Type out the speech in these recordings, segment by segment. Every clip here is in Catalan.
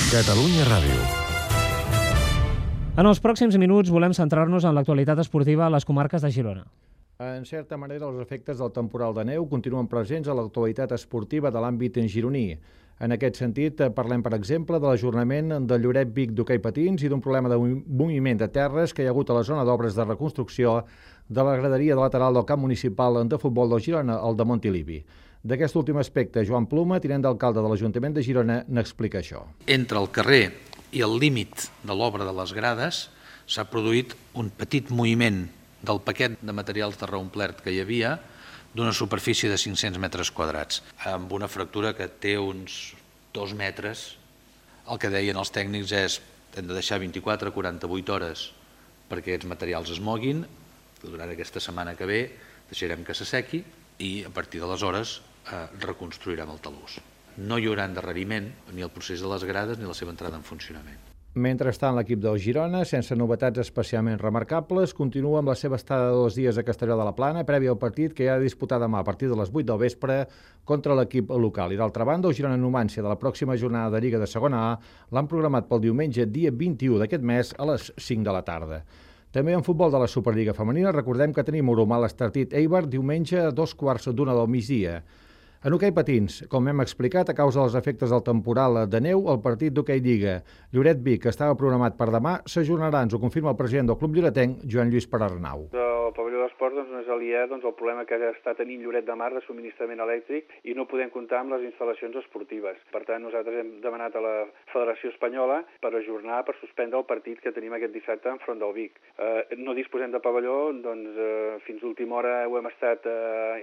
Catalunya Ràdio. En els pròxims minuts volem centrar-nos en l'actualitat esportiva a les comarques de Girona. En certa manera, els efectes del temporal de neu continuen presents a l'actualitat esportiva de l'àmbit gironí. En aquest sentit, parlem, per exemple, de l'ajornament del Lloret Vic d'hoquei patins i d'un problema de moviment de terres que hi ha hagut a la zona d'obres de reconstrucció de la graderia de lateral del camp municipal de futbol de Girona, el de Montilivi. D'aquest últim aspecte, Joan Pluma, tinent d'alcalde de l'Ajuntament de Girona, n'explica això. Entre el carrer i el límit de l'obra de les grades s'ha produït un petit moviment del paquet de materials de reomplert que hi havia d'una superfície de 500 metres quadrats, amb una fractura que té uns 2 metres. El que deien els tècnics és que hem de deixar 24 a 48 hores perquè aquests materials es moguin. Durant aquesta setmana que ve deixarem que s'assequi i a partir d'aleshores reconstruirem el talús. No hi haurà endarreriment ni el procés de les grades ni la seva entrada en funcionament. Mentrestant, l'equip del Girona, sense novetats especialment remarcables, continua amb la seva estada de 2 dies a Castelló de la Plana, prèvia al partit que hi ha de disputar demà a partir de les 8 del vespre contra l'equip local. I d'altra banda, el Girona Numància de la pròxima jornada de Lliga de Segona A l'han programat pel diumenge, dia 21 d'aquest mes, a les 5 de la tarda. També en futbol de la Superliga Femenina, recordem que tenim Oromà l'Estartit Eibar diumenge a 2:15 del migdia. En hoquei patins, com hem explicat, a causa dels efectes del temporal de neu, el partit d'hoquei Lliga Lloret Vic, que estava programat per demà, s'ajornarà, ens ho confirma el president del club lloretenc, Joan Lluís Perarnau. El pavelló d'esports no és aliè el problema que està tenint Lloret de Mar de subministrament elèctric i no podem comptar amb les instal·lacions esportives. Per tant, nosaltres hem demanat a la Federació Espanyola per ajornar, per suspendre el partit que tenim aquest dissabte enfront del Vic. No disposem de pavelló, doncs fins a última hora ho hem estat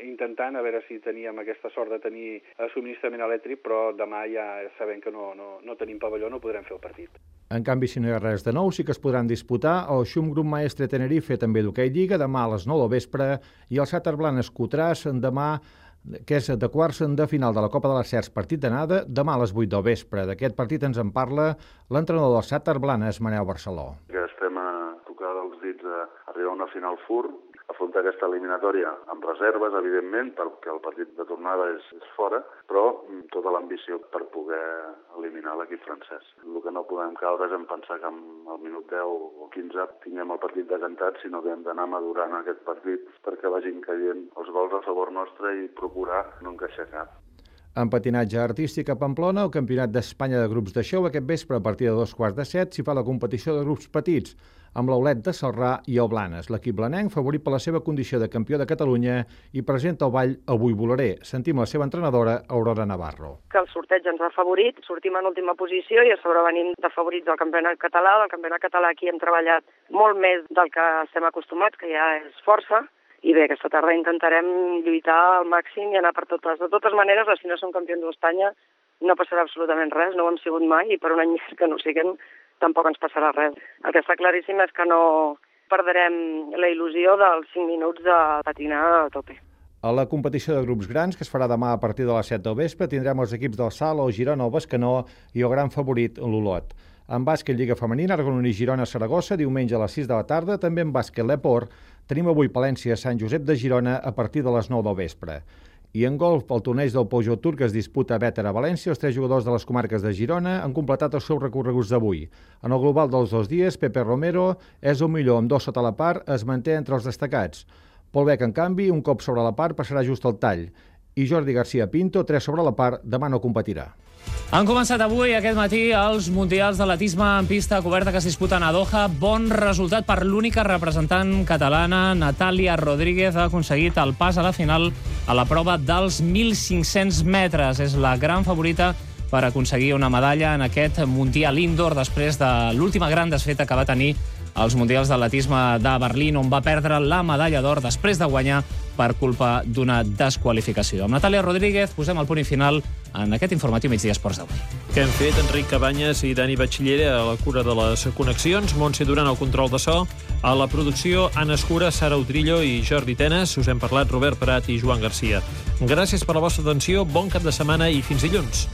intentant, a veure si teníem aquesta sort de tenir subministrament elèctric, però demà ja sabem que no tenim pavelló, no podrem fer el partit. En canvi, si no hi ha res de nou, sí que es podran disputar el Xum Grup Maestre Tenerife, també d'hoquei Lliga, demà a les 9 del vespre, i el Sàter Blanes Cotràs demà, que és de quarts de final de la Copa de les Cercs, partit d'anada, demà a les 8 del vespre. D'aquest partit ens en parla l'entrenador del Sàter Blanes, Manel Barceló. Que estem a tocar dels dits a arribar a una final fur, afrontar aquesta eliminatòria amb reserves, evidentment, perquè el partit de tornada és fora, però tota l'ambició per poder eliminar l'equip francès. El que no podem caure és en pensar que al minut 10 o 15 tinguem el partit decantat, sinó que hem d'anar madurant aquest partit perquè vagin caient els gols a favor nostre i procurar no encaixar cap. En patinatge artístic a Pamplona, el Campionat d'Espanya de grups de xou, aquest vespre a partir de 2:15 s'hi fa la competició de grups petits, amb l'Aulet de Celrà i el Blanes. L'equip blanenc, favorit per la seva condició de campió de Catalunya, i presenta el ball Avui volaré. Sentim la seva entrenadora, Aurora Navarro. Que el sorteig ens ha favorit, sortim en última posició i a sobre venim de favorits del campionat català. Del campionat català aquí hem treballat molt més del que estem acostumats, que ja és força. I bé, aquesta tarda intentarem lluitar al màxim i anar per totes. De totes maneres, si no som campions d'Espanya, no passarà absolutament res, no ho hem sigut mai, i per un any més que no siguem, tampoc ens passarà res. El que està claríssim és que no perdrem la il·lusió dels 5 minuts de patinar a tope. A la competició de grups grans, que es farà demà a partir de les 7 del vespre, tindrem els equips del Salt, el Girona, el Bescanó i el gran favorit, l'Olot. En bàsquet Lliga Femenina, Argononí Girona-Saragossa, diumenge a les 6 de la tarda. També en bàsquet l'Eport tenim avui Palència-Sant Josep de Girona a partir de les 9 del vespre. I en golf, el torneig del Peugeot Tour que es disputa a Bétera, a València, els 3 jugadors de les comarques de Girona han completat els seus recorreguts d'avui. En el global dels 2 dies, Pepe Romero és el millor amb 2 sota la part, es manté entre els destacats. Pol Bec, en canvi, un cop sobre la part passarà just al tall. I Jordi García Pinto, 3 sobre la part, demà no competirà. Han començat avui, aquest matí, els Mundials d'Atletisme en pista coberta que es disputen a Doha. Bon resultat per l'única representant catalana, Natàlia Rodríguez, ha aconseguit el pas a la final a la prova dels 1.500 metres. És la gran favorita per aconseguir una medalla en aquest Mundial Indoor després de l'última gran desfeta que va tenir als Mundials d'Atletisme de Berlín, on va perdre la medalla d'or després de guanyar per culpa d'una desqualificació. Amb Natàlia Rodríguez posem el punt final en aquest informatiu Migdia Esports d'avui. Que hem fet Enric Cabanyes i Dani Batxillera a la cura de les connexions, Montse Duran al control de so, a la producció Anna Escura, Sara Utrillo i Jordi Tenes. Us hem parlat Robert Prat i Joan Garcia. Gràcies per la vostra atenció, bon cap de setmana i fins dilluns.